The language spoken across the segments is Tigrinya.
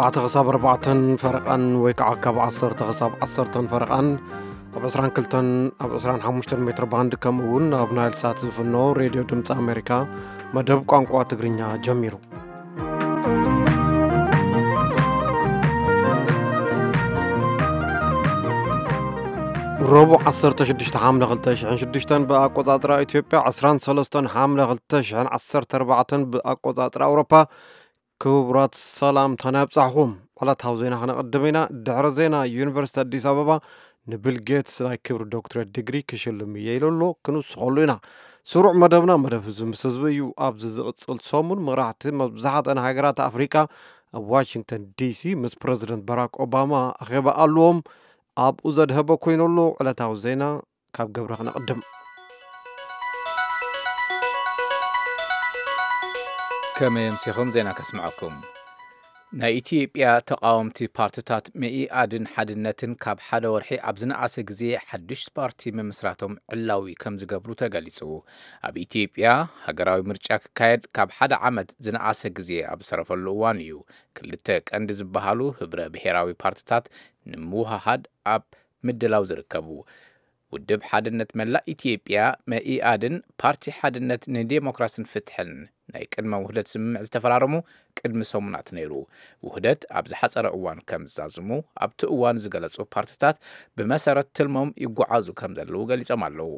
ኣተ ክሳብ ኣርባዕተን ፈረቓን ወይ ከዓ ካብ ዓሰርተ ክሳብ ዓሰርተን ፈረቓን ኣብ ዕስራን ክልተን ኣብ ዕስራን ሓሙሽተን ሜትር ባንድ፣ ከምኡ እውን ኣብ ናይል ሳት ዝፍኖ ሬድዮ ድምፂ ኣሜሪካ መደብ ቋንቋ ትግርኛ ጀሚሩ። ረቡዕ ዓሰርተ ሽዱሽተ ሓምለ ክልተ ሽሕን ሽዱሽተን ብኣቆጻጽራ ኢትዮጵያ፣ ዕስራን ሰለስተን ሓምለ ክልተ ሽሕን ዓሰርተ ኣርባዕተን ብኣቆጻጽራ ኣውሮፓ። ክቡራት ሰላምታና ይብጻሕኹም። ዕለታዊ ዜና ክነቕድም ኢና። ድሕሪ ዜና፣ ዩኒቨርሲቲ ኣዲስ ኣበባ ንቢል ጌትስ ናይ ክብሪ ዶክትሬት ዲግሪ ክሽልም እየ ኢሉ ኣሎ። ክንውስኸሉ ኢና። ስሩዕ መደብና መደብ ህዝቢ ምስ ህዝቢ እዩ። ኣብዚ ዝቕጽል ሰሙን መራሕቲ መብዛሕትአን ሃገራት ኣፍሪቃ ኣብ ዋሽንግተን ዲሲ ምስ ፕረዚደንት ባራክ ኦባማ ኣኼባ ኣለዎም። ኣብኡ ዘድሀበ ኮይኑ ኣሎ። ዕለታዊ ዜና ካብ ገብረ ክነቕድም። ከመይ ኣምሲኹም? ዜና ከስምዐኩም። ናይ ኢትዮጵያ ተቓወምቲ ፓርትታት መኢኣድን ሓድነትን ካብ ሓደ ወርሒ ኣብ ዝነኣሰ ግዜ ሓዱሽ ፓርቲ ምምስራቶም ዕላዊ ከም ዝገብሩ ተገሊጹ። ኣብ ኢትዮጵያ ሃገራዊ ምርጫ ክካየድ ካብ ሓደ ዓመት ዝነኣሰ ግዜ ኣብ ዝሰረፈሉ እዋን እዩ፣ ክልተ ቀንዲ ዝበሃሉ ህብረ ብሔራዊ ፓርትታት ንምውሃሃድ ኣብ ምድላው ዝርከቡ። ውድብ ሓድነት መላእ ኢትዮጵያ መኢኣድን ፓርቲ ሓድነት ንዴሞክራስን ፍትሕን ናይ ቅድመ ውህደት ስምምዕ ዝተፈራረሙ ቅድሚ ሰሙናት ነይሩ። ውህደት ኣብ ዝሓጸረ እዋን ከም ዝዛዝሙ ኣብቲ እዋን ዝገለጹ ፓርትታት ብመሰረት ትልሞም ይጓዓዙ ከም ዘለዉ ገሊጾም ኣለዉ።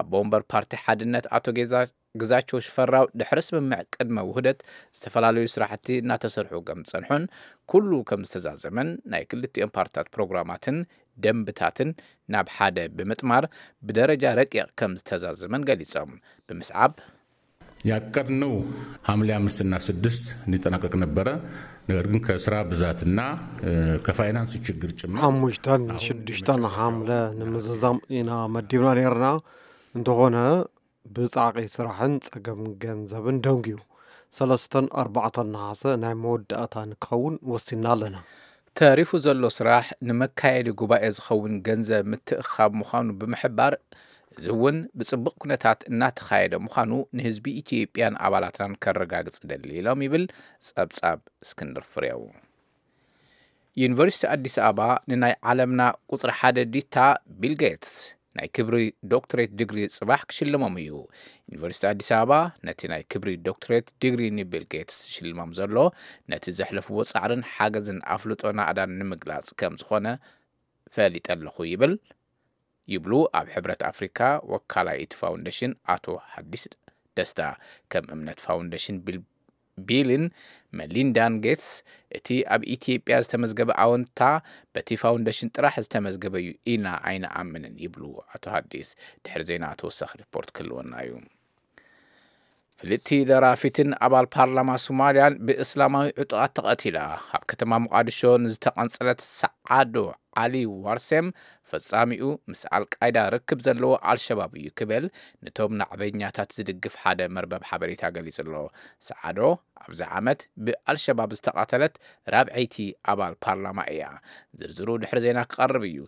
ኣቦ ወንበር ፓርቲ ሓድነት ኣቶ ጌዛ ግዛቸው ሽፈራው ድሕሪ ስምምዕ ቅድመ ውህደት ዝተፈላለዩ ስራሕቲ እናተሰርሑ ከም ዝጸንሑን ኩሉ ከም ዝተዛዘመን ናይ ክልቲኦም ፓርትታት ፕሮግራማትን ደንብታትን ናብ ሓደ ብምጥማር ብደረጃ ረቂቕ ከም ዝተዛዘመን ገሊጾም። ብምስዓብ ያቀድነው ሐምሌ አምስት እና ስድስት እንዲጠናቀቅ ነበረ። ነገር ግን ከስራ ብዛትና ከፋይናንስ ችግር ጭምር ሓሙሽተን ሽዱሽተን ሓምለ ንምዝዛም ኢና መዲብና ነርና። እንተኾነ ብጻዕቂ ስራሕን ጸገም ገንዘብን ደንጉዩ፣ ሰለስተን ኣርባዕተን ነሓሰ ናይ መወዳእታ ንክኸውን ወሲና ኣለና። ተሪፉ ዘሎ ስራሕ ንመካየዲ ጉባኤ ዝኸውን ገንዘብ ምትእኻብ ምዃኑ ብምሕባር፣ እዚ እውን ብጽቡቕ ኩነታት እናተኻየደ ምዃኑ ንህዝቢ ኢትዮጵያን ኣባላትናን ከረጋግጽ እደሊ ኢሎም ይብል ጸብጻብ እስክንድር ፍሬው። ዩኒቨርሲቲ ኣዲስ ኣበባ ንናይ ዓለምና ቁጽሪ ሓደ ዲታ ቢል ጌትስ ናይ ክብሪ ዶክትሬት ዲግሪ ጽባሕ ክሽልሞም እዩ። ዩኒቨርሲቲ ኣዲስ ኣበባ ነቲ ናይ ክብሪ ዶክትሬት ዲግሪ ንቢል ጌትስ ሽልሞም ዘሎ፣ ነቲ ዘሕለፍዎ ጻዕርን ሓገዝን ኣፍልጦ ናእዳን ንምግላጽ ከም ዝኾነ ፈሊጠ ኣለኹ ይብል። ይብሉ ኣብ ሕብረት ኣፍሪካ ወካላይ እቲ ፋውንዴሽን ኣቶ ሓዲስ ደስታ። ከም እምነት ፋውንዴሽን ቢል ቢልን መሊንዳን ጌትስ፣ እቲ ኣብ ኢትዮጵያ ዝተመዝገበ ኣወንታ በቲ ፋውንዴሽን ጥራሕ ዝተመዝገበ እዩ ኢልና ኣይንኣምንን ይብሉ ኣቶ ሓዲስ። ድሕሪ ዜና ተወሳኺ ሪፖርት ክህልወና እዩ። ፍልጥቲ ደራፊትን ኣባል ፓርላማ ሶማልያን ብእስላማዊ ዕጡቓት ተቐቲላ። ኣብ ከተማ ሞቓድሾ ንዝተቐንጸለት ሰዓዶ ዓሊ ዋርሴም፣ ፈጻሚኡ ምስ ኣልቃይዳ ርክብ ዘለዎ ኣልሸባብ እዩ ክብል ንቶም ናዕበኛታት ዝድግፍ ሓደ መርበብ ሓበሬታ ገሊጹ ኣሎ። ሰዓዶ ኣብዚ ዓመት ብኣልሸባብ ዝተቐተለት ራብዐይቲ ኣባል ፓርላማ እያ። ዝርዝሩ ድሕሪ ዜና ክቐርብ እዩ።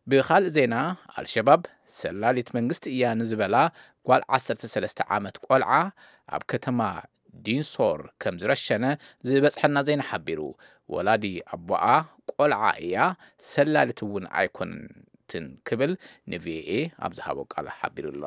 ብኻልእ ዜና፣ ኣልሸባብ ሰላሊት መንግስቲ እያ ንዝበላ ጓል ዓሰርተ ሰለስተ ዓመት ቆልዓ ኣብ ከተማ ዲንሶር ከም ዝረሸነ ዝበጽሐና ዜና ሓቢሩ። ወላዲ ኣቦኣ ቆልዓ እያ፣ ሰላሊት እውን ኣይኮነትን ክብል ንቪኦኤ ኣብ ዝሃቦ ቃል ሓቢሩ ኣሎ።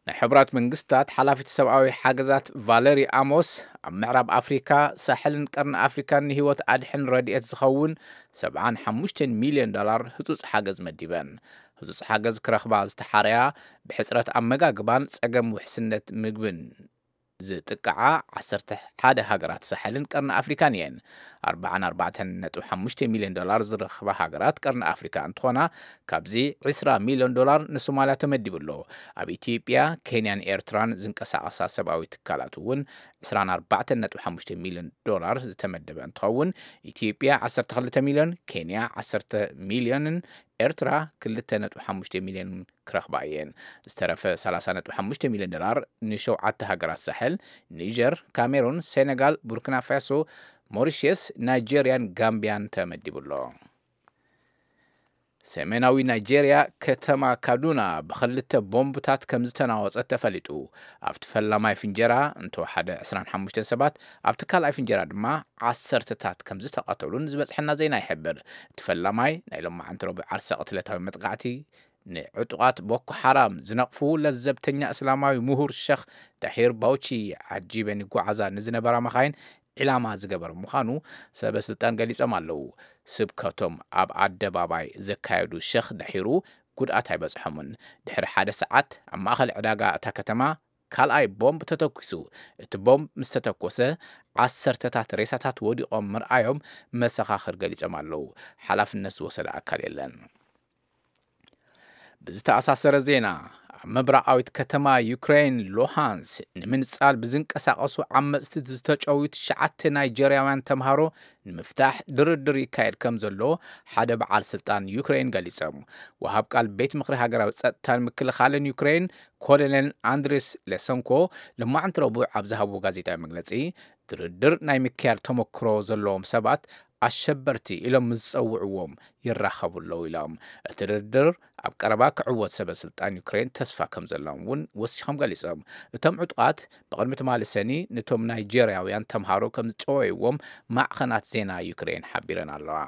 ናይ ሕቡራት መንግስታት ሓላፊት ሰብኣዊ ሓገዛት ቫለሪ ኣሞስ፣ ኣብ ምዕራብ ኣፍሪካ፣ ሳሕልን ቀርኒ ኣፍሪካን ንህይወት ኣድሕን ረድኤት ዝኸውን ሰብዓን ሓሙሽተን ሚልዮን ዶላር ህጹጽ ሓገዝ መዲበን። ህጹጽ ሓገዝ ክረኽባ ዝተሓረያ ብሕጽረት ኣመጋግባን ጸገም ውሕስነት ምግብን ዝጥቅዓ ዓሰርተ ሓደ ሃገራት ሳሕልን ቀርኒ ኣፍሪካን እየን። ኣርባዓን ኣርባዕተን ነጥቢ ሓሙሽተ ሚልዮን ዶላር ዝረኽባ ሃገራት ቀርኒ ኣፍሪካ እንትኾና፣ ካብዚ ዕስራ ሚልዮን ዶላር ንሶማልያ ተመዲቡ ኣሎ። ኣብ ኢትዮጵያ፣ ኬንያን ኤርትራን ዝንቀሳቐሳ ሰብኣዊ ትካላት እውን ዕስራን ኣርባዕተን ነጥቢ ሓሙሽተ ሚልዮን ዶላር ዝተመደበ እንትኸውን፣ ኢትዮጵያ ዓሰርተ ክልተ ሚልዮን፣ ኬንያ ዓሰርተ ሚልዮንን ኤርትራ ክልተ ነጥቢ ሓሙሽተ ሚልዮን ክረኽባ እየን። ዝተረፈ ሰላሳ ነጥቢ ሓሙሽተ ሚልዮን ዶላር ንሸውዓተ ሃገራት ሳሕል፣ ኒጀር፣ ካሜሩን፣ ሴኔጋል፣ ቡርኪና ፋሶ፣ ሞሪሽየስ፣ ናይጄርያን ጋምቢያን ተመዲቡ ኣሎ። ሰሜናዊ ናይጄርያ ከተማ ካዱና ብኽልተ ቦምብታት ከም ዝተናወጸት ተፈሊጡ። ኣብቲ ፈላማይ ፍንጀራ እንተወሓደ ዕስራን ሓሙሽተን ሰባት፣ ኣብቲ ካልኣይ ፍንጀራ ድማ ዓሰርተታት ከም ዝተቐተሉን ዝበጽሐና ዜና ይሕብር። እቲ ፈላማይ ናይ ሎማዓንቲ ረቡዕ ዓርሰ ቅትለታዊ መጥቃዕቲ ንዕጡቓት ቦኮ ሓራም ዝነቕፉ ለዘብተኛ እስላማዊ ምሁር ሸኽ ዳሂር ባውቺ ዓጂበን ይጓዓዛ ንዝነበራ መኻይን ዒላማ ዝገበረ ምዃኑ ሰበ ስልጣን ገሊጾም ኣለዉ። ስብከቶም ኣብ ኣደባባይ ዘካየዱ ሸኽ ዳሂሩ ጉድኣት ኣይበጽሖምን። ድሕሪ ሓደ ሰዓት ኣብ ማእኸል ዕዳጋ እታ ከተማ ካልኣይ ቦምብ ተተኲሱ። እቲ ቦምብ ምስ ተተኮሰ ዓሰርተታት ሬሳታት ወዲቖም ምርኣዮም መሰኻኽር ገሊጾም ኣለዉ። ሓላፍነት ዝወሰደ ኣካል የለን። ብዝተኣሳሰረ ዜና፣ ኣብ ምብራቓዊት ከተማ ዩክሬን ሉሃንስ ንምንጻል ብዝንቀሳቐሱ ዓመጽቲ ዝተጨውዩ ትሽዓተ ናይጀርያውያን ተምሃሮ ንምፍታሕ ድርድር ይካየድ ከም ዘሎ ሓደ በዓል ስልጣን ዩክሬን ገሊጾም። ወሃብ ቃል ቤት ምኽሪ ሃገራዊ ጸጥታን ምክልኻልን ዩክሬን ኮሎኔል ኣንድሪስ ሌሰንኮ ሎማዕንቲ ረቡዕ ኣብ ዝሃብዎ ጋዜጣዊ መግለጺ፣ ድርድር ናይ ምክያድ ተመክሮ ዘለዎም ሰባት ኣሸበርቲ ኢሎም ምስ ዝጸውዕዎም ይራኸቡ ኣለዉ ኢሎም። እቲ ድርድር ኣብ ቀረባ ክዕወት ሰበ ስልጣን ዩክሬን ተስፋ ከም ዘለዎም እውን ወሲኾም ገሊጾም። እቶም ዕጡቓት ብቕድሚ ትማሊ ሰኒ ነቶም ናይጄርያውያን ተምሃሮ ከም ዝጨወይዎም ማዕኸናት ዜና ዩክሬን ሓቢረን ኣለዋ።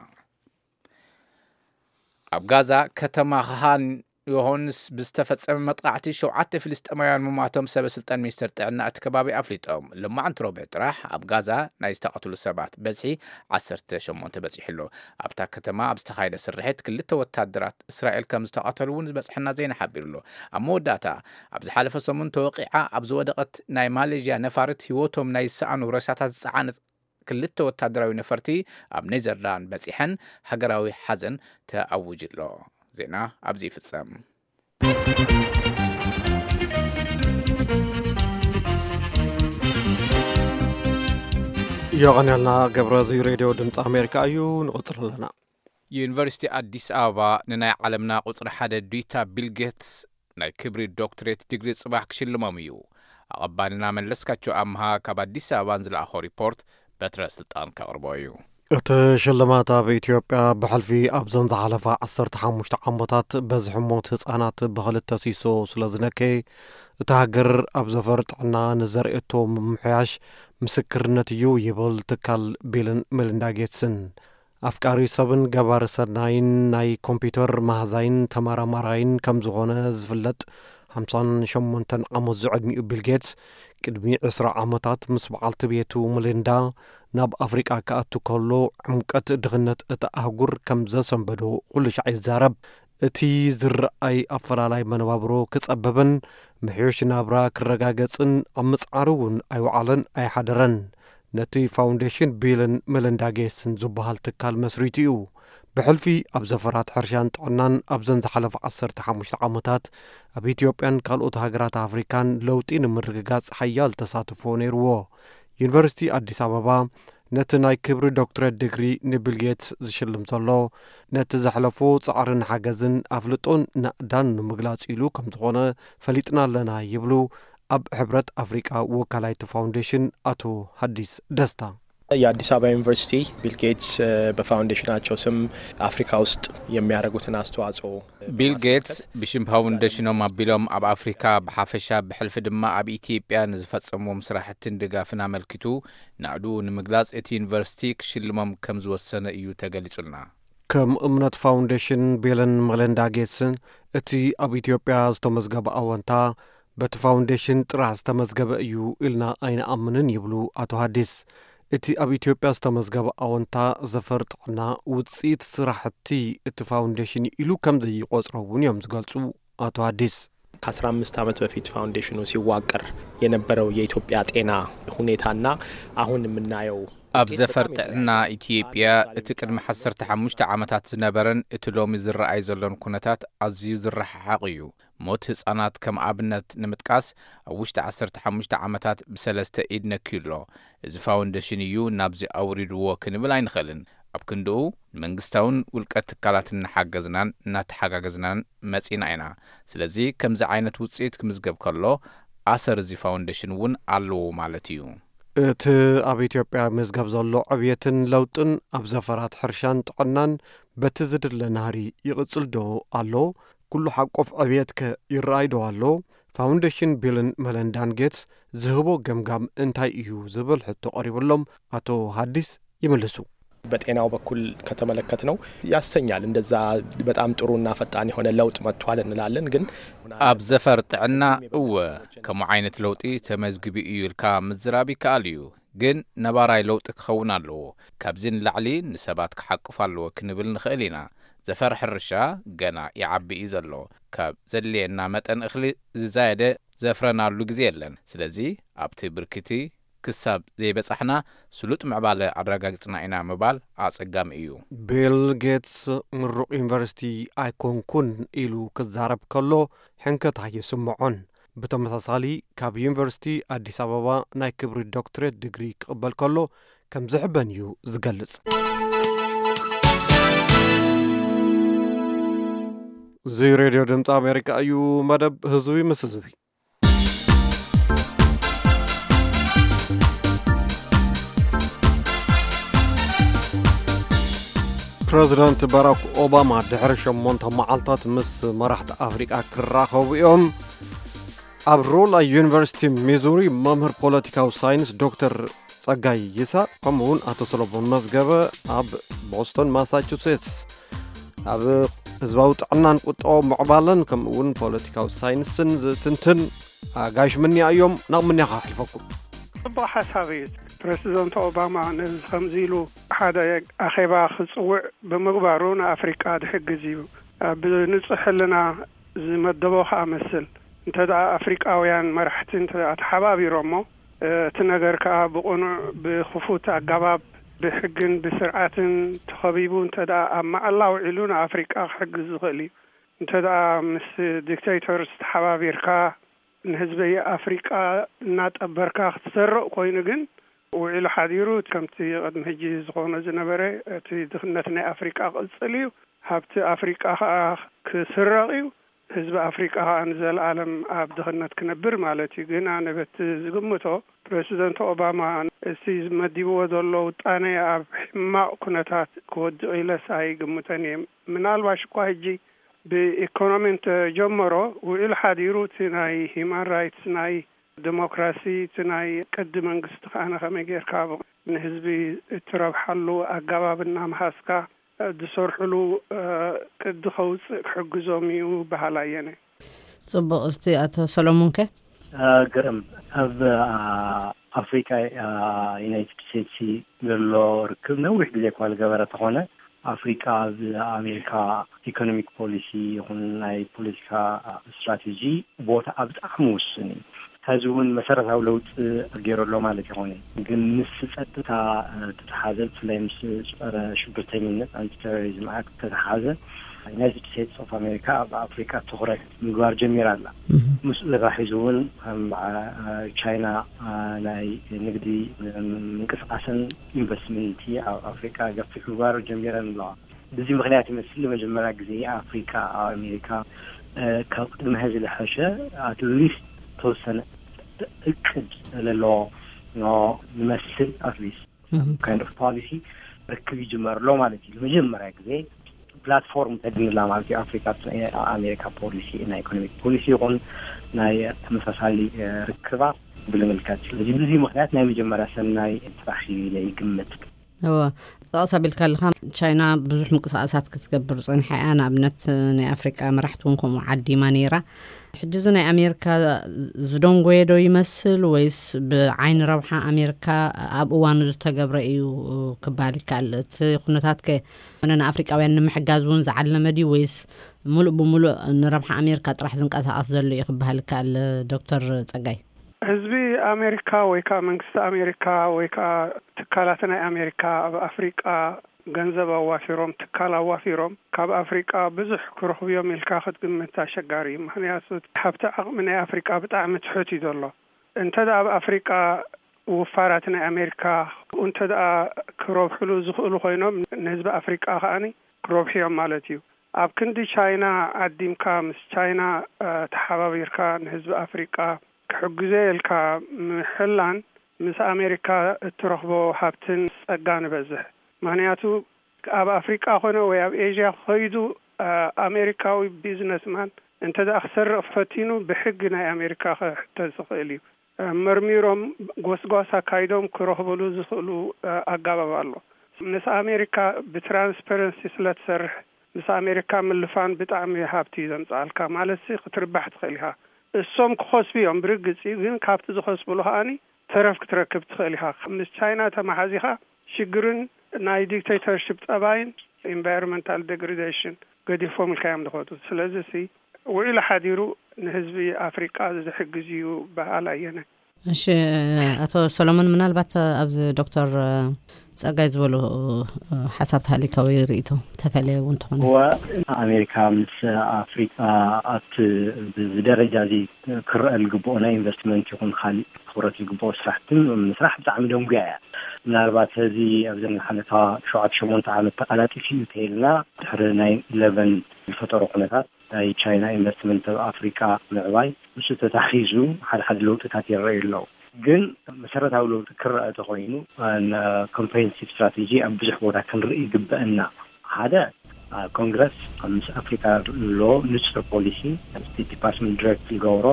ኣብ ጋዛ ከተማ ኻን ዮሃንስ ብዝተፈጸመ መጥቃዕቲ ሸውዓተ ፍልስጤማውያን ምሟቶም ሰበ ስልጣን ሚኒስተር ጥዕና እቲ ከባቢ ኣፍሊጦም። ሎማዕንቲ ረቡዕ ጥራሕ ኣብ ጋዛ ናይ ዝተቐትሉ ሰባት በዝሒ ዓሰርተ ሸሞንተ በጺሑ ኣሎ። ኣብታ ከተማ ኣብ ዝተኻየደ ስርሒት ክልተ ወታደራት እስራኤል ከም ዝተቐተሉ እውን ዝበጽሐና ዜና ሓቢሩ ኣሎ። ኣብ መወዳእታ፣ ኣብ ዝሓለፈ ሰሙን ተወቒዓ ኣብ ዝወደቐት ናይ ማሌዥያ ነፋሪት ህይወቶም ናይ ዝሰኣኑ ሬሳታት ዝጸዓነት ክልተ ወታደራዊ ነፈርቲ ኣብ ኔዘርላንድ በጺሐን ሃገራዊ ሓዘን ተኣዊጁ ኣሎ። ዜና ኣብዚ ይፍጸም። የቐንየልና ገብረ፣ እዚ ሬድዮ ድምፂ ኣሜሪካ እዩ። ንቕፅል ኣለና። ዩኒቨርሲቲ ኣዲስ ኣበባ ንናይ ዓለምና ቁፅሪ ሓደ ዱይታ ቢል ጌትስ ናይ ክብሪ ዶክትሬት ዲግሪ ጽባሕ ክሽልሞም እዩ። ኣቐባልና መለስካቸው ኣምሃ ካብ ኣዲስ ኣበባ ንዝለኣኾ ሪፖርት በትረ ስልጣን ከቕርቦ እዩ። እቲ ሽልማት ኣብ ኢትዮጵያ ብሕልፊ ኣብዘን ዝሓለፋ ዓሰርተ ሓሙሽተ ዓመታት በዝሒ ሞት ህጻናት ብኽልተ ሲሶ ስለ ዝነከየ፣ እታ ሃገር ኣብ ዘፈር ጥዕና ንዘርእየቶ ምምሕያሽ ምስክርነት እዩ ይብል ትካል ቢልን ሜሊንዳ ጌትስን። ኣፍቃሪ ሰብን ገባሪ ሰናይን ናይ ኮምፒውተር መሃዛይን ተመራማራይን ከም ዝኾነ ዝፍለጥ ሓምሳን ሸሞንተን ዓመት ዝዕድሚኡ ቢል ጌትስ፣ ቅድሚ ዕስራ ዓመታት ምስ በዓልቲ ቤቱ ሜሊንዳ ናብ ኣፍሪቃ ክኣቱ ከሎ፣ ዕምቀት ድኽነት እታ ኣህጉር ከም ዘሰንበዶ ኩሉ ሻዕ ይዛረብ። እቲ ዝረኣይ ኣፈላላይ መነባብሮ ክጸበብን ምሕዮሽ ናብራ ክረጋገጽን ኣብ ምጽዓሩ እውን ኣይወዓለን ኣይሓደረን። ነቲ ፋውንዴሽን ቢልን ሜሊንዳ ጌትስን ዝበሃል ትካል መስሪቱ እዩ። ብሕልፊ ኣብ ዘፈራት ሕርሻን ጥዕናን ኣብዘን ዝሓለፈ ዓሰርተ ሓሙሽተ ዓመታት ኣብ ኢትዮጵያን ካልኦት ሃገራት ኣፍሪካን ለውጢ ንምርግጋጽ ሓያል ተሳትፎ ነይርዎ። ዩኒቨርሲቲ ኣዲስ ኣበባ ነቲ ናይ ክብሪ ዶክትሬት ዲግሪ ንቢል ጌትስ ዝሽልም ዘሎ፣ ነቲ ዘሕለፎ ጻዕርን ሓገዝን ኣፍልጦን ናእዳን ንምግላጽ ኢሉ ከም ዝኾነ ፈሊጥና ኣለና ይብሉ ኣብ ሕብረት ኣፍሪቃ ወካላይ እቲ ፋውንዴሽን ኣቶ ሃዲስ ደስታ። የአዲስ አበባ ዩኒቨርሲቲ ቢል ጌትስ፣ እ፣ በፋውንዴሽናቸው ስም አፍሪካ ውስጥ የሚያደርጉትን አስተዋጽኦ ቢል ጌትስ ብሽም ፋውንዴሽኖም ኣቢሎም ኣብ ኣፍሪካ ብሓፈሻ ብሕልፊ ድማ ኣብ ኢትዮጵያ ንዝፈጸምዎም ስራሕትን ድጋፍን ኣመልኪቱ ናእድኡ ንምግላጽ እቲ ዩኒቨርሲቲ ክሽልሞም ከም ዝወሰነ እዩ ተገሊጹልና። ከም እምነት ፋውንዴሽን ቢልን መለንዳ ጌትስን እቲ ኣብ ኢትዮጵያ ዝተመዝገበ ኣወንታ በቲ ፋውንዴሽን ጥራሕ ዝተመዝገበ እዩ ኢልና ኣይንኣምንን ይብሉ ኣቶ ሃዲስ። እቲ ኣብ ኢትዮጵያ ዝተመዝገበ ኣወንታ ዘፈር ጥዕና ውፅኢት ስራሕቲ እቲ ፋውንዴሽን ኢሉ ከም ዘይቆፅሮ እውን እዮም ዝገልፁ ኣቶ ሃዲስ። ከአስራ አምስት ዓመት በፊት ፋውንዴሽኑ ሲዋቀር የነበረው የኢትዮጵያ ጤና ሁኔታና አሁን የምናየው ኣብ ውጤት ዘፈር በጣም ጥዕና ይለያያል። ኢትዮጵያ እቲ ቅድሚ ዓሰርተ ሓሙሽተ ዓመታት ዝነበረን እቲ ሎሚ ዝረኣይ ዘሎን ኩነታት ኣዝዩ ዝረሓሓቕ እዩ። ሞት ህጻናት ከም ኣብነት ንምጥቃስ፣ ኣብ ውሽጢ ዓሰርተ ሓሙሽተ ዓመታት ብሰለስተ ኢድ ነክዩ ኣሎ። እዚ ፋውንዴሽን እዩ ናብዚ ኣውሪድዎ ክንብል ኣይንኽእልን። ኣብ ክንድኡ ንመንግስታውን ውልቀ ትካላትን እናሓገዝናን እናተሓጋገዝናን መጺና ኢና። ስለዚ ከምዚ ዓይነት ውጽኢት ክምዝገብ ከሎ ኣሰር እዚ ፋውንዴሽን እውን ኣለዎ ማለት እዩ። እቲ ኣብ ኢትዮጵያ መዝገብ ዘሎ ዕብየትን ለውጥን ኣብ ዘፈራት ሕርሻን ጥዕናን በቲ ዝድለ ናህሪ ይቕጽል ዶ ኣሎ? ኩሉ ሓቆፍ ዕብየት ከ ይረኣይ ዶ ኣሎ? ፋውንዴሽን ቢልን መለንዳን ጌትስ ዝህቦ ገምጋም እንታይ እዩ ዝብል ሕቶ ቀሪብሎም ኣቶ ሃዲስ ይምልሱ። በጤናው በኩል ከተመለከት ነው ያሰኛል። እንደዛ በጣም ጥሩና ፈጣን የሆነ ለውጥ መጥቷል እንላለን። ግን ኣብ ዘፈር ጥዕና እወ ከምኡ ዓይነት ለውጢ ተመዝግቢ እዩ ኢልካ ምዝራብ ይከኣል እዩ። ግን ነባራይ ለውጢ ክኸውን ኣለዎ። ካብዚ ንላዕሊ ንሰባት ክሓቅፍ ኣለዎ ክንብል ንኽእል ኢና። ዘፈር ሕርሻ ገና ይዓቢ እዩ ዘሎ። ካብ ዘድልየና መጠን እኽሊ ዝዛየደ ዘፍረናሉ ግዜ የለን። ስለዚ ኣብቲ ብርክቲ ክሳብ ዘይበጻሕና ስሉጥ ምዕባለ ኣረጋግጽና ኢና ምባል ኣጸጋሚ እዩ። ቢል ጌትስ ምሩቕ ዩኒቨርሲቲ ኣይኮንኩን ኢሉ ክዛረብ ከሎ ሕንከት ኣይስምዖን። ብተመሳሳሊ ካብ ዩኒቨርሲቲ ኣዲስ ኣበባ ናይ ክብሪ ዶክትሬት ዲግሪ ክቕበል ከሎ ከም ዝሕበን እዩ ዝገልጽ። እዚ ሬድዮ ድምፂ ኣሜሪካ እዩ። መደብ ህዝቢ ምስ ህዝቢ። ፕረዚደንት ባራክ ኦባማ ድሕሪ ሸሞንተ መዓልታት ምስ መራሕቲ ኣፍሪቃ ክራኸቡ እዮም። ኣብ ሮላ ዩኒቨርሲቲ ሚዙሪ መምህር ፖለቲካዊ ሳይንስ ዶክተር ጸጋይ ይስሐቅ፣ ከምኡ እውን ኣቶ ሰሎሞን መዝገበ ኣብ ቦስቶን ማሳቹሴትስ ኣብ ህዝባዊ ጥዕናን ቁጠባዊ ምዕባለን ከምኡ እውን ፖለቲካዊ ሳይንስን ዝትንትን ኣጋይሽ ምንያ እዮም። ናብ ምንያ ከሕልፈኩም። ጽቡቕ ሓሳብ እዩ። ፕረሲደንት ኦባማ ነዚ ከምዚ ኢሉ ሓደ ኣኼባ ክጽውዕ ብምግባሩ ንኣፍሪቃ ዝሕግዝ እዩ። ብንጹሕ ሕልና ዝመደቦ ከኣ መስል። እንተ ደኣ ኣፍሪቃውያን መራሕቲ እንተ ደኣ ተሓባቢሮሞ፣ እቲ ነገር ከኣ ብቕኑዕ ብኽፉት ኣገባብ ብሕግን ብስርዓትን ተኸቢቡ እንተ ደኣ ኣብ መዓላ ውዒሉ ንኣፍሪቃ ክሕግዝ ዝኽእል እዩ። እንተ ደኣ ምስ ዲክቴተርስ ተሓባቢርካ ንህዝቢ ኣፍሪቃ እናጠበርካ ክትሰርቕ ኮይኑ ግን ውዒሉ ሓዲሩ ከምቲ ቅድሚ ሕጂ ዝኾኖ ዝነበረ እቲ ድኽነት ናይ ኣፍሪቃ ክቕጽል እዩ። ሃብቲ ኣፍሪቃ ከኣ ክስረቕ እዩ። ህዝቢ ኣፍሪቃ ከኣ ንዘለኣለም ኣብ ድኽነት ክነብር ማለት እዩ። ግን ኣነ በቲ ዝግምቶ ፕረሲደንት ኦባማ እቲ ዝመዲብዎ ዘሎ ውጣነ ኣብ ሕማቕ ኩነታት ክወድቕ ኢለስ ኣይግምቶን እየ። ምናልባሽ እኳ ሕጂ ብኢኮኖሚ እንተጀመሮ ውዒሉ ሓዲሩ እቲ ናይ ሂማን ራይትስ ናይ ዲሞክራሲ እቲ ናይ ቅዲ መንግስቲ ከኣነ ከመይ ጌርካ ንህዝቢ እትረብሓሉ ኣገባብ እናምሃዝካ ዝሰርሕሉ ቅዲ ከውፅእ ክሕግዞም እዩ በሃላይ እየ። ፅቡቕ። እስቲ ኣቶ ሰሎሞን ከ? ግርም ኣብ ኣፍሪካ ዩናይትድ ስቴትስ ዘሎ ርክብ ነዊሕ ግዜ እኳ ዝገበረ ተኾነ ኣፍሪካ ኣብ ኣሜሪካ ኢኮኖሚክ ፖሊሲ ይኹን ናይ ፖለቲካ ስትራቴጂ ቦታ ኣብ ብጣዕሚ ውሱን እዩ። ሕዚ እውን መሰረታዊ ለውጢ ገይሩ ኣሎ ማለት ይኾነ፣ ግን ምስ ፀጥታ ተተሓዘ ብፍላይ ምስ ፀረ ሽብርተኝነት ኣንቲ ቴሮሪዝም ኣክት ተተሓዘ ዩናይትድ ስቴትስ ኦፍ ኣሜሪካ ኣብ ኣፍሪካ ትኩረት ምግባር ጀሚራ ኣላ። ምስኡ ተታሒዙ እውን ከም ቻይና ናይ ንግዲ ምንቅስቃስን ኢንቨስትመንት ኣብ ኣፍሪካ ገፊሕ ምግባር ጀሚረን ኣለዋ። ብዚ ምክንያት ይመስል ንመጀመርያ ግዜ ኣፍሪካ ኣብ ኣሜሪካ ካብ ቅድሚ ሕዚ ዝሐሸ ኣትሊስት ተወሰነ እቅድ ዘለዎ ንመስል ኣትሊስት kind of policy ርክብ ይጅመር ኣሎ ማለት እዩ። ንመጀመርያ ግዜ ፕላትፎርም ተግንላ ማለት እዩ። ኣፍሪካ ኣሜሪካ ፖሊሲ ናይ ኢኮኖሚክ ፖሊሲ ይኹን ናይ ተመሳሳሊ ርክባት ብምልከት። ስለዚ ብዙ ምክንያት ናይ መጀመርያ ሰናይ ስራሕ እዩ ኢለ ይግምት። እወ፣ ጠቕስ ኣቢልካ ኣለኻ። ቻይና ብዙሕ ምንቅስቃሳት ክትገብር ጸኒሓ እያ። ንኣብነት ናይ ኣፍሪቃ መራሕቲ እውን ከምኡ ዓዲማ ነይራ። ሕጂ እዚ ናይ ኣሜሪካ ዝደንጎየ ዶ ይመስል ወይስ ብዓይኒ ረብሓ ኣሜሪካ ኣብ እዋኑ ዝተገብረ እዩ ክበሃል ይከኣል? እቲ ኩነታት ከ ንኣፍሪቃውያን ንምሕጋዝ እውን ዝዓለመ ድዩ ወይስ ሙሉእ ብሙሉእ ንረብሓ ኣሜሪካ ጥራሕ ዝንቀሳቐስ ዘሎ እዩ ክበሃል ይከኣል? ዶክተር ጸጋይ። ህዝቢ ኣሜሪካ ወይ ከዓ መንግስቲ ኣሜሪካ ወይ ከዓ ትካላት ናይ ኣሜሪካ ኣብ ኣፍሪቃ ገንዘብ ኣዋፊሮም ትካል ኣዋፊሮም ካብ ኣፍሪቃ ብዙሕ ክረኽቡ እዮም ኢልካ ክትግምት ኣሸጋሪ እዩ። ምክንያቱ ሃብቲ ዓቕሚ ናይ ኣፍሪቃ ብጣዕሚ ትሑት እዩ ዘሎ። እንተ ደኣ ኣብ ኣፍሪቃ ውፋራት ናይ ኣሜሪካ እንተ ደኣ ክረብሕሉ ዝኽእሉ ኮይኖም ንህዝቢ ኣፍሪቃ ከኣኒ ክረብሑ እዮም ማለት እዩ። ኣብ ክንዲ ቻይና ዓዲምካ ምስ ቻይና ተሓባቢርካ ንህዝቢ ኣፍሪቃ ክሕግዞ ኢልካ ምሕላን ምስ ኣሜሪካ እትረኽቦ ሃብትን ጸጋ ንበዝሕ። ምኽንያቱ ኣብ ኣፍሪቃ ኮነ ወይ ኣብ ኤዥያ ከይዱ ኣሜሪካዊ ቢዝነስማን እንተ ደኣ ክሰርቕ ፈቲኑ፣ ብሕጊ ናይ ኣሜሪካ ክሕተት ዝኽእል እዩ። መርሚሮም፣ ጎስጓስ ኣካይዶም ክረኽብሉ ዝኽእሉ ኣጋባብ ኣሎ። ምስ ኣሜሪካ ብትራንስፐረንሲ ስለ ትሰርሕ፣ ምስ ኣሜሪካ ምልፋን ብጣዕሚ ሃብቲ እዩ ዘምጽኣልካ። ማለትሲ ክትርባሕ ትኽእል ኢኻ። እሶም ክኸስቡ እዮም ብርግጽ፣ ግን ካብቲ ዝኸስብሉ ከኣኒ ተረፍ ክትረክብ ትኽእል ኢኻ። ምስ ቻይና ተመሓዚኻ ሽግርን ናይ ዲክቴተርሽፕ ጠባይን፣ ኢንቫይሮንመንታል ዴግሬዴሽን፣ ገዲፎም ኢልካ እዮም ዝኸዱ። ስለዚ ሲ ውዒሉ ሓዲሩ ንህዝቢ ኣፍሪቃ ዝሕግዝ እዩ በሃል ኣየነ። እሺ፣ ኣቶ ሰሎሞን፣ ምናልባት ኣብዚ ዶክተር ጸጋይ ዝበሉ ሓሳብ ተሃሊካ ወይ ርእይቶ ተፈለየ እውን ተኾነ። እወ፣ ኣሜሪካ ምስ ኣፍሪቃ ኣብቲ ብደረጃ እዚ ክረአ ዝግብኦ ናይ ኢንቨስትመንት ይኹን ካሊእ ትኹረት ዝግብኦ ስራሕቲ ምስራሕ ብጣዕሚ ደንጉያ እያ። ምናልባት እዚ ኣብዚ ዝሓለፋ ሸውዓተ ሸሞንተ ዓመት ተቃላጢፉ እዩ ተይልና፣ ድሕሪ ናይ ኢለቨን ዝፈጠሮ ኩነታት ናይ ቻይና ኢንቨስትመንት ኣብ ኣፍሪቃ ምዕባይ፣ ምስ ተታሒዙ ሓደ ሓደ ለውጥታት ይረኣዩ ኣለዉ። ግን መሰረታዊ ለውጢ ክረአ ተኾይኑ፣ ኮምፕሬሄንሲቭ ስትራቴጂ ኣብ ብዙሕ ቦታ ክንርኢ ይግበአና። ሓደ፣ ኮንግረስ ምስ ኣፍሪካ ኣሎ ንፁር ፖሊሲ፣ ስቴት ዲፓርትመንት ዲሬክት ዝገብሮ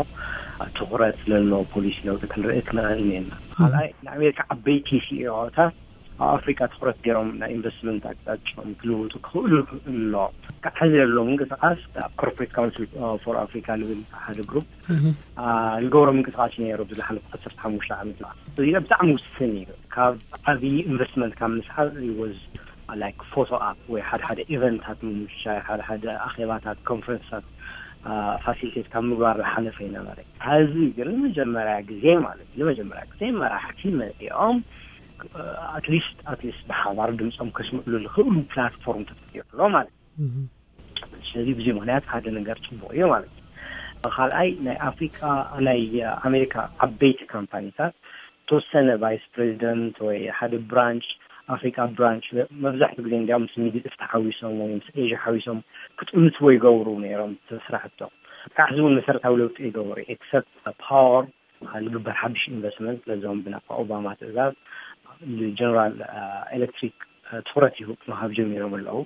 ትኹረት ዘለዎ ፖሊሲ ለውጢ ክንርኢ ክንኽእል እኒና። ካልኣይ፣ ንኣሜሪካ ዓበይቲ ሲኢኦታት ኣብ ኣፍሪካ ትኹረት ገይሮም ናይ ኢንቨስትመንት ኣቅጣጫኦም ክልውጡ ክኽእሉ ኣሎ። ካብ ሕዚ ዘሎ ምንቅስቃስ ኣብ ኮርፖሬት ካውንስል ፎር ኣፍሪካ ዝብል ሓደ ግሩፕ ዝገብሮ ምንቅስቃስ ነይሩ። ብዝሓለፉ ዓሰርተ ሓሙሽተ ዓመት እዚ ብጣዕሚ ውስን እዩ። ካብ ዓብዪ ኢንቨስትመንት ካብ ምስሓብ ወዝ ላይክ ፎቶ ኣፕ ወይ ሓደ ሓደ ኢቨንታት ምምሻይ፣ ሓደ ሓደ ኣኼባታት፣ ኮንፈረንስታት ፋሲሊቴት ካብ ምግባር ዝሓለፈ ይነበረ። ሕዚ ግን ንመጀመርያ ግዜ ማለት እዩ፣ ንመጀመርያ ግዜ መራሕቲ መፂኦም ኣትሊስት ኣትሊስት ብሓባር ድምፆም ከስምዕሉ ዝኽእሉ ፕላትፎርም ተፈጢሩ ኣሎ ማለት እዩ። ስለዚ ብዚ ምክንያት ሓደ ነገር ፅቡቅ እዩ ማለት እዩ። ካልኣይ፣ ናይ ኣፍሪካ፣ ናይ ኣሜሪካ ዓበይቲ ካምፓኒታት ተወሰነ ቫይስ ፕሬዚደንት ወይ ሓደ ብራንች ኣፍሪካ ብራንች መብዛሕትኡ ግዜ እንዲያውም ምስ ሚድል ኢስት ሓዊሶም ወይ ምስ ኤዥያ ሓዊሶም ክጥምትዎ ይገብሩ ነይሮም ስራሕቶም። ካብ ሕዚ እውን መሰረታዊ ለውጢ ይገብሩ ኤክሰፕት ፓወር ዝግበር ሓድሽ ኢንቨስትመንት ለዞም ብናይ ኦባማ ትእዛዝ ንጀነራል ኤሌክትሪክ ትኹረት ይህብ ምሃብ ጀሚሮም ኣለዉ።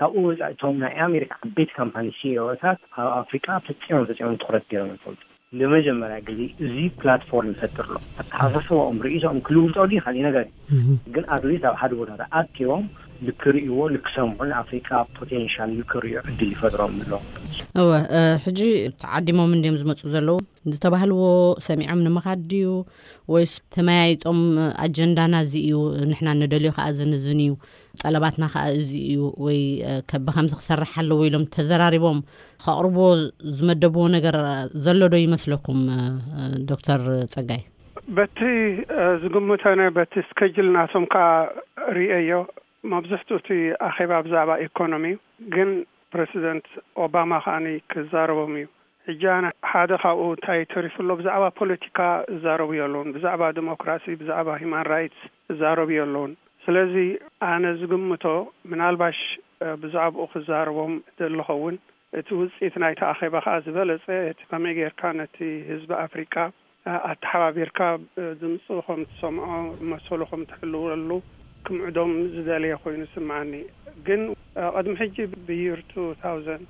ካብኡ ወፃኢ እቶም ናይ ኣሜሪካ ዓበይቲ ካምፓኒ ሲኢኦታት ኣብ ኣፍሪቃ ፈፂሞም ፈፂሞም ትኹረት ገይሮም ይፈልጡ። ንመጀመርያ ግዜ እዚ ፕላትፎርም ይፈጥር ኣሎ። ኣተሓሳስባኦም ርእይቶኦም ክልውጠሉ ይኽእል እዩ ነገር እዩ። ግን ኣትሊስት ኣብ ሓደ ቦታ ተኣኪቦም ልክርእይዎ ልክሰምዑ ንኣፍሪቃ ፖቴንሻል ልክርእዩ ዕድል ይፈጥሮም ኣሎ። እወ፣ ሕጂ ተዓዲሞም እንድዮም ዝመፁ ዘለዉ? ዝተባህልዎ ሰሚዖም ንምኻድ ድዩ ወይስ ተመያይጦም ኣጀንዳና እዚ እዩ፣ ንሕና ንደልዮ ከዓ ዝንዝን እዩ፣ ጠለባትና ከዓ እዚ እዩ ወይ ከ ብከምዚ ክሰርሕ ኣለዎ ኢሎም ተዘራሪቦም ከቕርብዎ ዝመደብዎ ነገር ዘሎ ዶ ይመስለኩም? ዶክተር ጸጋይ፣ በቲ ዝግምተነ በቲ ስከጅል ናቶም ከዓ ርእየዮ፣ መብዝሕትኡ እቲ ኣኼባ ብዛዕባ ኢኮኖሚ እዩ። ግን ፕረሲደንት ኦባማ ከዓኒ ክዛረቦም እዩ። ሕጂ ኣነ ሓደ ካብኡ እንታይ ተሪፉ ኣሎ? ብዛዕባ ፖለቲካ እዛረቡ የለውን፣ ብዛዕባ ዲሞክራሲ፣ ብዛዕባ ሂማን ራይትስ እዛረቡ የለውን። ስለዚ ኣነ ዝግምቶ ምናልባሽ ብዛዕባኡ ክዛረቦም ደለኸውን። እቲ ውፅኢት ናይቲ ኣኼባ ከዓ ዝበለፀ እቲ ከመይ ጌርካ ነቲ ህዝቢ ኣፍሪቃ ኣተሓባቢርካ ድምፁ ከም ትሰምዖ መሰሉ ከም ትሕልወሉ ክምዕዶም ዝደለየ ኮይኑ ይስምዓኒ። ግን ቅድሚ ሕጂ ብይር ቱ ታውዘንድ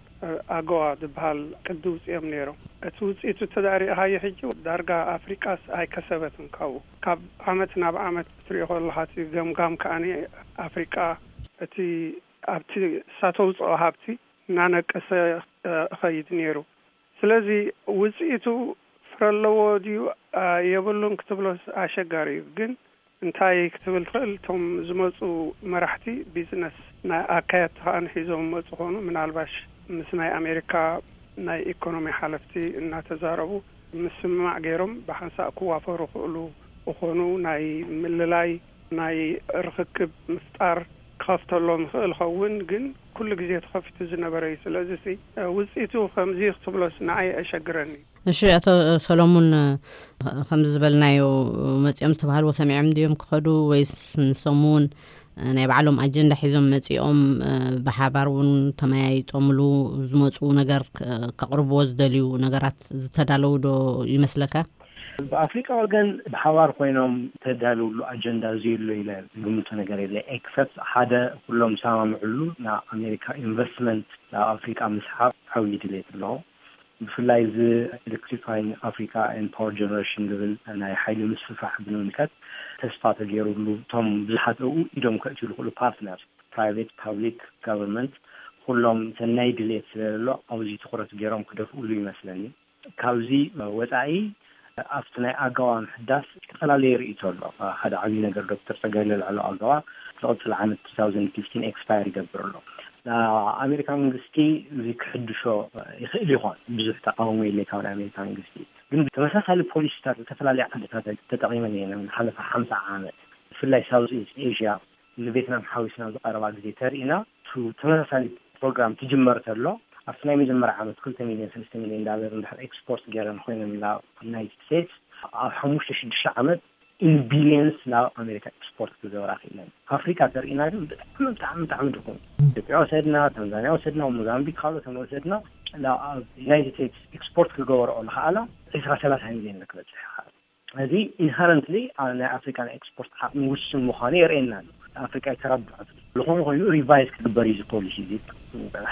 ኣጎዋ ዝበሃል ቅዲ ውፅኦም ነይሮም። እቲ ውፅኢቱ ተዳሪእኻዮ ሕጂ ዳርጋ ኣፍሪቃስ ኣይከሰበትን ካብኡ። ካብ ዓመት ናብ ዓመት ክትሪኦ ከለኻ እቲ ገምጋም ከዓኒ ኣፍሪቃ እቲ ኣብቲ እሳ ተውፅኦ ሃብቲ እናነቀሰ እኸይድ ነይሩ። ስለዚ ውፅኢቱ ፍረ ኣለዎ ድዩ የብሉን ክትብሎስ ኣሸጋሪ እዩ። ግን እንታይ ክትብል ትኽእል? እቶም ዝመፁ መራሕቲ ቢዝነስ ናይ ኣካየድቲ ከዓ ንሒዞም መፁ ኾኑ። ምናልባሽ ምስ ናይ ኣሜሪካ ናይ ኢኮኖሚ ሓለፍቲ እናተዛረቡ ምስምማዕ ገይሮም ብሓንሳእ ክዋፈሩ ክእሉ እኾኑ። ናይ ምልላይ ናይ ርኽክብ ምፍጣር ክኸፍተሎም ይኽእል ኸውን፣ ግን ኩሉ ግዜ ተኸፊቱ ዝነበረ እዩ። ስለዚ ውፅኢቱ ከምዚ ክትብሎስ ንዓይ ኣሸግረኒ። እሺ፣ ኣቶ ሰሎሙን፣ ከምዚ ዝበልናዮ መፂኦም ዝተባሃልዎ ሰሚዖም ድዮም ክኸዱ ወይስ ንሶም እውን ናይ ባዕሎም ኣጀንዳ ሒዞም መፂኦም ብሓባር እውን ተመያይጦምሉ ዝመፁ ነገር ከቕርብዎ ዝደልዩ ነገራት ዝተዳለዉ ዶ ይመስለካ? ብኣፍሪቃ ወገን ብሓባር ኮይኖም ተዳልውሉ ኣጀንዳ ዝየሎ ኢለ ዝግምቶ ነገር የለ። ኤክሰፕት ሓደ ኩሎም ዝሰማምዕሉ ናብ ኣሜሪካ ኢንቨስትመንት ናብ ኣፍሪቃ ምስሓብ ዓብዪ ድሌት ኣለዎ። ብፍላይ እዚ ኤሌክትሪፋይንግ ኣፍሪካ ኤንድ ፓወር ጀነሬሽን ዝብል ናይ ሓይሊ ምስፍፋሕ ብምምልከት ተስፋ ተገይሩሉ እቶም ብዙሓት ኣብኡ ኢዶም ከእትዩ ዝኽእሉ ፓርትነር ፕራይቬት ፓብሊክ ጋቨርንመንት ኩሎም ሰናይ ድሌት ስለዘሎ ኣብዚ ትኩረት ገይሮም ክደፍእሉ ይመስለኒ። ካብዚ ወፃኢ ኣብቲ ናይ ኣገዋ ምሕዳስ ዝተፈላለየ ርእይቶ ኣሎ። ሓደ ዓብዪ ነገር ዶክተር ፀጋይ ለልዕሎ ኣገዋ ዝቕፅል ዓመት two thousand fifteen ኤክስፓየር ይገብር ኣሎ። ኣሜሪካ መንግስቲ እዚ ክሕድሾ ይኽእል ይኾን ብዙሕ ተቃውሞ የለ ካብ ናይ ኣሜሪካ መንግስቲ። ግን ተመሳሳሊ ፖሊሲታት ዝተፈላለዩ ዓድታት ተጠቂመን እየን ዝሓለፈ ሓምሳ ዓመት ብፍላይ ሳውዝ ኢስት ኤዥያ ንቬትናም ሓዊስና ዝቀረባ ግዜ ተርኢና ተመሳሳሊ ፕሮግራም ትጅመር ተሎ ኣብቲ ናይ መጀመርያ ዓመት ክልተ ሚልዮን ሰለስተ ሚልዮን ዳለር እንድሕር ኤክስፖርት ገይረን ኮይነን ናብ ዩናይትድ ስቴትስ ኣብ ሓሙሽተ ሽዱሽተ ዓመት ኢን ቢልዮንስ ናብ ኣሜሪካ ኤክስፖርት ክገብራ ክኢለን። ኣፍሪካ ተርኢና ግን ብጣዕሚ ብጣዕሚ ብጣዕሚ ድኹም። ኢትዮጵያ ወሰድና፣ ታንዛኒያ ወሰድና፣ ሞዛምቢክ ካልኦት ወሰድና ናብ ዩናይትድ ስቴትስ ኤክስፖርት ክገበርኦ ዝኸኣላ ዕስራ ሰላሳ ሚልዮን ክበፅሕ ይኸኣል። እዚ ኢንሃረንትሊ ናይ ኣፍሪካ ናይ ኤክስፖርት ዓቕሚ ውሱን ምዃኑ የርእየና ኣሎ። ኣፍሪካ ይተረብሐት ዝኾነ ኮይኑ ሪቫይዝ ክግበር እዩ ፖሊሲ እዚ።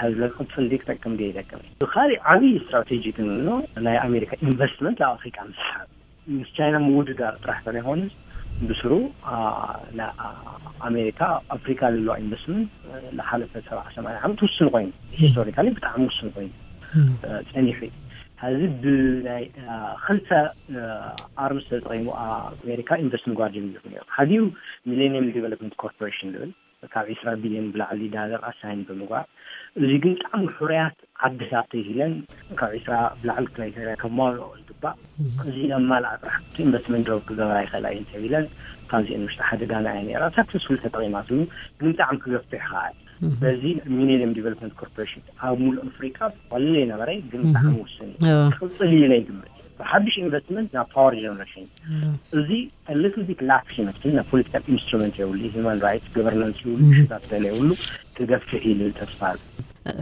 ሕዚ ክቕፅል ዲ ክጠቅም ዲ ይጠቅም። ብካሊእ ዓብዪ ስትራቴጂ ግን ኣሎ ናይ ኣሜሪካ ኢንቨስትመንት ኣብ ኣፍሪካ ምስሓብ ምስ ቻይና ምውድዳር ጥራሕ ተለይኮነስ ብስሩ ኣሜሪካ ኣፍሪካ ለለዋ ኢንቨስትመንት ዝሓለፈ ሰብዓ ሰማንያ ዓመት ውሱን ኮይኑ ሂስቶሪካሊ ብጣዕሚ ውሱን ኮይኑ ፀኒሑ እዩ። ሕዚ ብናይ ክልተ ኣርምስ ተጠቂሙ ኣሜሪካ ኢንቨስት ምግባር ጀሚሩ ነሩ። ሓዲኡ ሚሌኒየም ዲቨሎፕመንት ኮርፖሬሽን ዝብል ካብ ዕስራ ቢልዮን ብላዕሊ ዳለር ኣሳይን ብምግባር፣ እዚ ግን ብጣዕሚ ሕሩያት ዓድታት ተይለን ካብ ዕስራ ብላዕሊ ክራይተርያ ከማልኦ ዝግባእ፣ እዚ ዘማልኣ ጥራሕ ኢንቨስትመንት ድሮፕ ክገብራ ይኽእላ እየን ተቢለን ካብዚአን ውሽጢ ሓደ ጋና እያ ነራ። ሳክሰስፉል ተጠቂማትሉ ግን ብጣዕሚ ክገፍሕ ይኽኣል። በዚ ሚሌኒየም ዲቨሎፕመንት ኮርፖሬሽን ኣብ ሙሉእ ኣፍሪካ ቀሊል የነበረ ግን ብጣዕሚ ውስን እዩ። ክቕፅል እዩ ኢለ ይግምት። ብሓድሽ ኢንቨስትመንት ናብ ፓወር ጀነሬሽን እዚ ሊትል ቢት ላክስ ይመስል ናብ ፖለቲካል ኢንስትሩመንት የብሉ። ሂማን ራይትስ ገቨርናንስ ይብሉ ሽታት ገለ የብሉ። ክገፍሕ ኢሉ ተስፋ ኣሎ።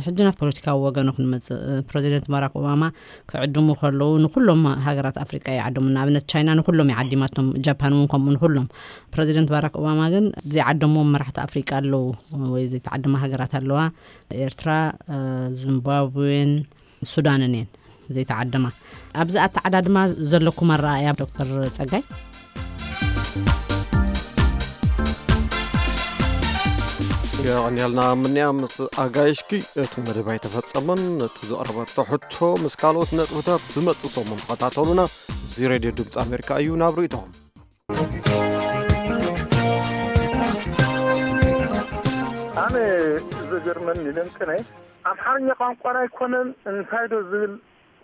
ሕጂ ናብ ፖለቲካዊ ወገኑ ክንመፅእ ፕረዚደንት ባራክ ኦባማ ክዕድሙ ከለዉ ንኩሎም ሃገራት ኣፍሪቃ ይዓደሙ። ንኣብነት ቻይና ንኩሎም ይዓዲማቶም፣ ጃፓን እውን ከምኡ ንኩሎም። ፕረዚደንት ባራክ ኦባማ ግን ዘይዓደምዎም መራሕቲ ኣፍሪቃ ኣለዉ ወይ ዘይተዓደማ ሃገራት ኣለዋ። ኤርትራ፣ ዚምባብዌን ሱዳንን እየን ዘይተዓደማ። ኣብዚ ኣተዓዳድማ ዘለኩም ኣረኣእያ ዶክተር ጸጋይ? የቐንየልና ምንያ ምስ ኣጋይሽኪ። እቲ መደብ ኣይተፈጸመን። እቲ ዝቐረበቶ ሕቶ ምስ ካልኦት ነጥብታት ብመጽእ ሰሙን ተኸታተሉና። እዚ ሬድዮ ድምፂ ኣሜሪካ እዩ። ናብ ርእይቶኹም። ኣነ ዘገርመኒ ለምጥነ ኣምሓርኛ ቋንቋና ኣይኮነን እንታይ ዶ ዝብል፣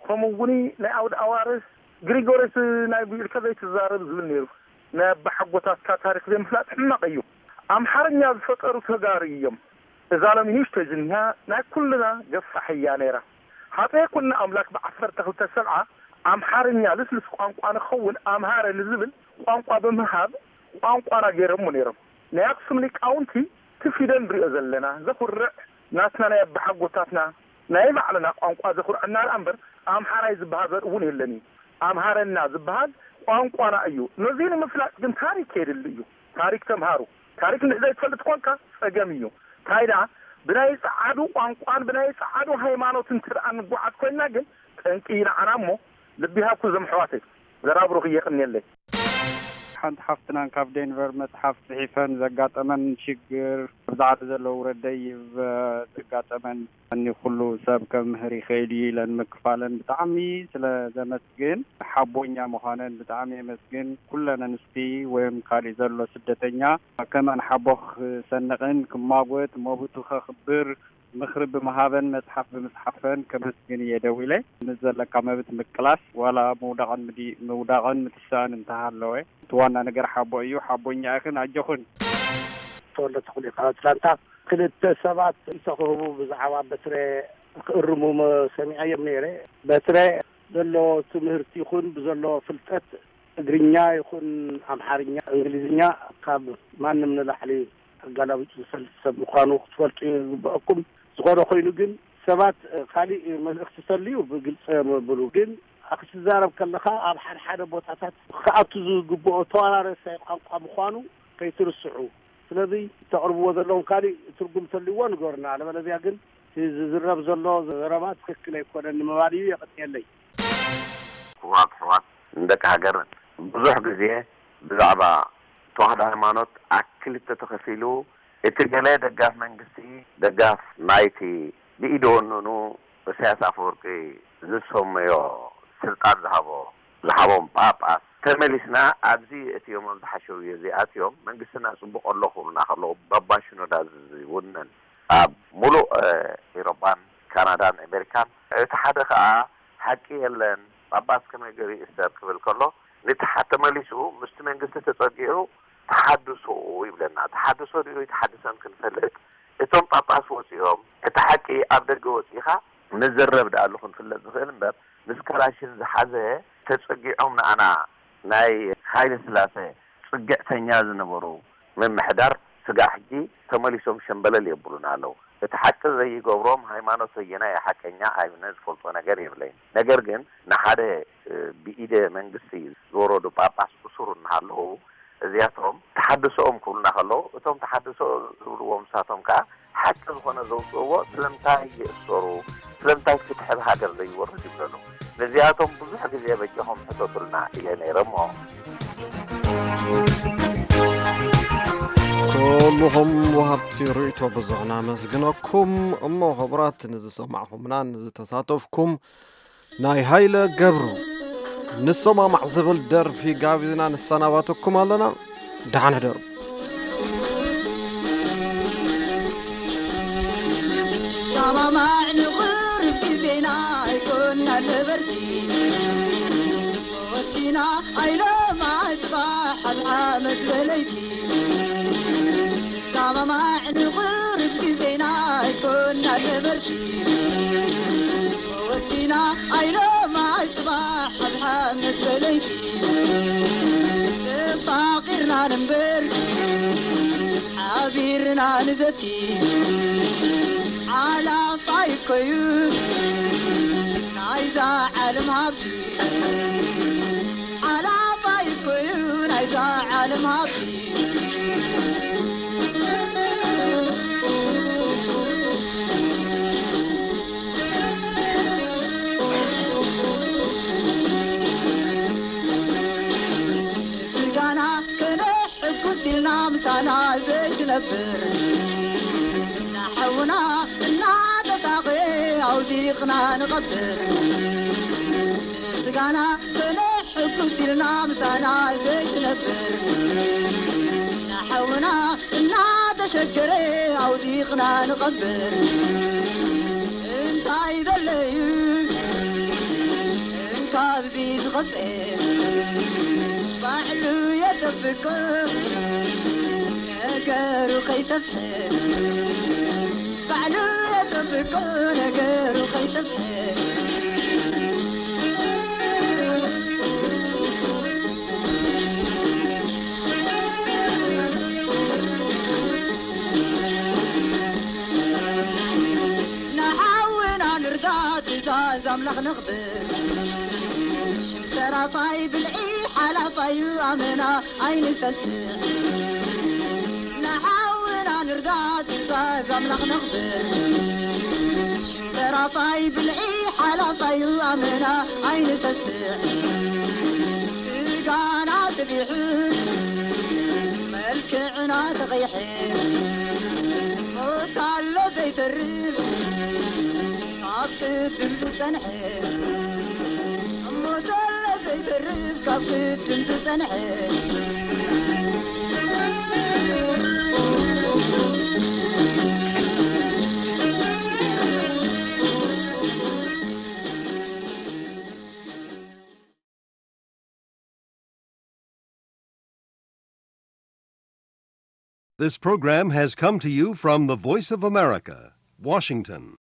ከምኡ እውን ናይ ኣውድ ኣዋርስ ግሪጎሪስ ናይ ብኢልካ ዘይትዛረብ ዝብል ነይሩ። ናይ ኣባሓጎታትካ ታሪክ ዘይምፍላጥ ሕማቕ እዩ። ኣምሓርኛ ዝፈጠሩ ተጋሩ እዮም። እዛ ሎሚ ንእሽቶ ዝኒሃ ናይ ኩልና ገፋሕ እያ ነይራ። ሃፀይ ኩና ኣምላክ ብዓሰርተ ክልተ ሰብዓ ኣምሓርኛ ልስሉስ ቋንቋ ንኸውን ኣምሃረ ንዝብል ቋንቋ ብምሃብ ቋንቋና ገይሮሞ ነይሮም። ናይ ኣክሱም ሊቃውንቲ እቲ ፊደል ንሪኦ ዘለና ዘኹርዕ ናትና ናይ ኣባሓጎታትና ናይ ባዕልና ቋንቋ ዘኹርዐና ደኣ እምበር ኣምሓራይ ዝበሃል ዘርኢ እውን የለን እዩ። ኣምሃረና ዝበሃል ቋንቋና እዩ። ነዚ ንምፍላጥ ግን ታሪክ የድሊ እዩ። ታሪክ ተምሃሩ። ታሪክ እንድሕር ዘይትፈልጥ ኮንካ ጸገም እዩ። እንታይ ደኣ ብናይ ጸዓዱ ቋንቋን ብናይ ጸዓዱ ሃይማኖት እንተ ደኣ ንጓዓዝ ኮይንና ግን ጠንቂ እዩ ንዓና እሞ ልቢ ይሃብኩም እዞም ኣሕዋተይ። ዘራብሩኽ እየ የቐንየለይ። ሓንቲ ሓፍትናን ካብ ዴንቨር መጽሓፍ ጽሒፈን ዘጋጠመን ሽግር፣ ኣብዚ ዓዲ ዘለዉ ውረደይ ዘጋጠመን እኒ ኩሉ ሰብ ከምህር ይኽእል እዩ ኢለን ምክፋለን ብጣዕሚ ስለ ዘመስግን፣ ሓቦኛ ምዃነን ብጣዕሚ የመስግን። ኩለን ኣንስቲ ወይም ካሊእ ዘሎ ስደተኛ ከማን ሓቦ ክሰንቕን ክማጎት መብቱ ከኽብር ምኽሪ ብምሃበን መጽሓፍ ብምጽሓፈን ከመስግን እየ ደዊለ። ምስ ዘለካ መብት ምቅላስ ዋላ ምውዳቕን ምዲ- ምውዳቕን ምትሳእን እንተሃለወ እቲ ዋና ነገር ሓቦ እዩ። ሓቦኛ ኢኽን ኣጆኽን። ተወልደ ተኽሉ ካብ ኣትላንታ። ክልተ ሰባት ርእይቶ ክህቡ ብዛዕባ በትረ ክእርሙ ሰሚዐዮም ነይረ። በትረ ዘለዎ ትምህርቲ ይኹን ብዘለዎ ፍልጠት ትግርኛ ይኹን ኣምሓርኛ፣ እንግሊዝኛ ካብ ማንም ንላዕሊ ኣጋላቢጡ ዝፈልጥ ሰብ ምዃኑ ክትፈልጡ ይግበኣኩም። ዝኾነ ኮይኑ ግን ሰባት ካሊእ መልእኽቲ ተልዩ ብግልፂ እዮም ኣብሉ። ግን ክትዛረብ ከለኻ ኣብ ሓደ ሓደ ቦታታት ክኣቱ ዝግብኦ ተዋራረሳይ ቋንቋ ምዃኑ ከይትርስዑ። ስለዚ እተቕርብዎ ዘለኹም ካልእ ትርጉም ተልይዎ ንገሩና። ኣለበለዚያ ግን እቲ ዝዝረብ ዘሎ ዘረባ ትኽክል ኣይኮነን ንምባል እዩ። የቐንየለይ። ክቡራት ኣሕዋት፣ ንደቂ ሃገር ብዙሕ ግዜ ብዛዕባ ተዋህዶ ሃይማኖት ኣብ ክልተ ተኸፊሉ፣ እቲ ገለ ደጋፍ መንግስቲ፣ ደጋፍ ናይቲ ብኢደ ወነኑ ኢሳያስ ኣፈወርቂ ዝሰመዮ ስልጣን ዝሃቦ፣ ዝሃቦም ጳጳስ፣ ተመሊስና ኣብዚ እቲኦም ኣብዚ ሓሸውየ እዚኣትዮም መንግስትና ጽቡቕ ኣሎ ክብሉና ከለዉ፣ ባባ ሽኖዳ ዝውነን ኣብ ሙሉእ፣ እ፣ ኤውሮጳን ካናዳን ኣሜሪካን፣ እቲ ሓደ ከኣ ሓቂ የለን፣ ጳጳስ ከመይ ገይሩ ይእሰር ክብል ከሎ፣ ነቲ ሓ-፣ ተመሊሱ ምስቲ መንግስቲ ተጸጊዑ ተሓድሶ ይብለና። ተሓድሶ ድዩ ኣይተሓድሰን ክንፈልጥ፣ እቶም ጳጳስ ወጺኦም፣ እቲ ሓቂ ኣብ ደገ ወጺኻ ንዘረብ ደኣሉ ክንፍለጥ ዝኽእል እምበር፣ ምስ ካላሽን ዝሓዘ ተጸጊዖም ንኣና ናይ ሃይለ ስላሴ ጽግዕተኛ ዝነበሩ ምምሕዳር ስጋዕ ሕጂ ተመሊሶም ሸምበለል የብሉና ኣለዉ። እቲ ሓቂ ዘይገብሮም ሃይማኖት በየናይ ሓቀኛ ኣይነ ዝፈልጦ ነገር የብለይን። ነገር ግን ንሓደ፣ እ፣ ብኢደ መንግስቲ ዝወረዱ ጳጳስ እሱር እናሃለዉ እዚኣቶም ተሓድሶኦም ክብሉና ከለዉ፣ እቶም ተሓድሶ ዝብልዎም ንሳቶም ከኣ ሓቂ ዝኾነ ዘውፅእዎ ስለምንታይ ይእሰሩ? ስለምንታይ ፍትሒ ኣብ ሃገር ዘይወርድ ይብለሉ? ነዚኣቶም ብዙሕ ግዜ በጃኹም ሕተቱልና ኢለ ነይረ እሞ። ኩልኹም ወሃብቲ ርእይቶ ብዙሕ ናመስግነኩም። እሞ ክቡራት ንዝሰማዕኹምና ንዝተሳተፍኩም ናይ ሃይለ ገብሩ ንሰማማዕ ዝብል ደርፊ ጋቢዝና ንሰናባተኩም ኣለና። ደሓን ሕደሩ። ሰማማዕ ንቕርብ ግዜና ኣይኮና ነበርቲ። ወሲና ኣይሎማ ጽባሕ ኣብ ዓመት በለይቲ። ሰማማዕ ንቕርብ ግዜና ኣይኮና ነበርቲ። ወሲና ኣይሎማ ጽባሕ ኣብ ዓመት በለይቲ። ተፋቒርና ንንበር ሓቢርና ንዘቲ። ሓላፋይ እኮዩ ናይዛ ዓለም ሃብቲ። ሓላፋይ እኮዩ ናይዛ ዓለም ሃብቲ። ስጋና ከነሕጉስ ኢልና ምሳና ዘይትነብር፣ ንሓውና እናተሳቐየ ኣውዲቕና ንቐብር። ስጋና ከነሕጉስ ኢልና ምሳና ዘይትነብር፣ ንሓውና እናተሸገረ ኣውዲቕና ንቐብር። እንታይ ዘለዩ ካብዚ ዝኸፍኤ ባዕሉ የጠብቆ ነገሩ ከይሰፍሐ፣ ባዕሉ የጠብቆ ነገሩ ከይሰፍሐ። ንሓውና ንርዳ ትእዛዝ ኣምላኽ ነኽብር። ሽም ተራፋይ ብልዒ ሓላፋዩ ኣመና ኣይንሰስዕ። ንሓውና ንርዳ ትእዛዝ ኣምላኽ ነኽብር። ሽም ተራፋይ ብልዒ ሓላፋዩ ኣመና ኣይንሰስዕ። ስጋና ስቢሑ መልክዕና ተቐይሐ። ሞት ኣሎ ዘይተርፍ ካብ ቅድም ዝጸንሐ። ሞት ኣሎ ዘይተርፍ ካብ ቅድም ዝጸንሐ። This program has come to you from the Voice of America, Washington.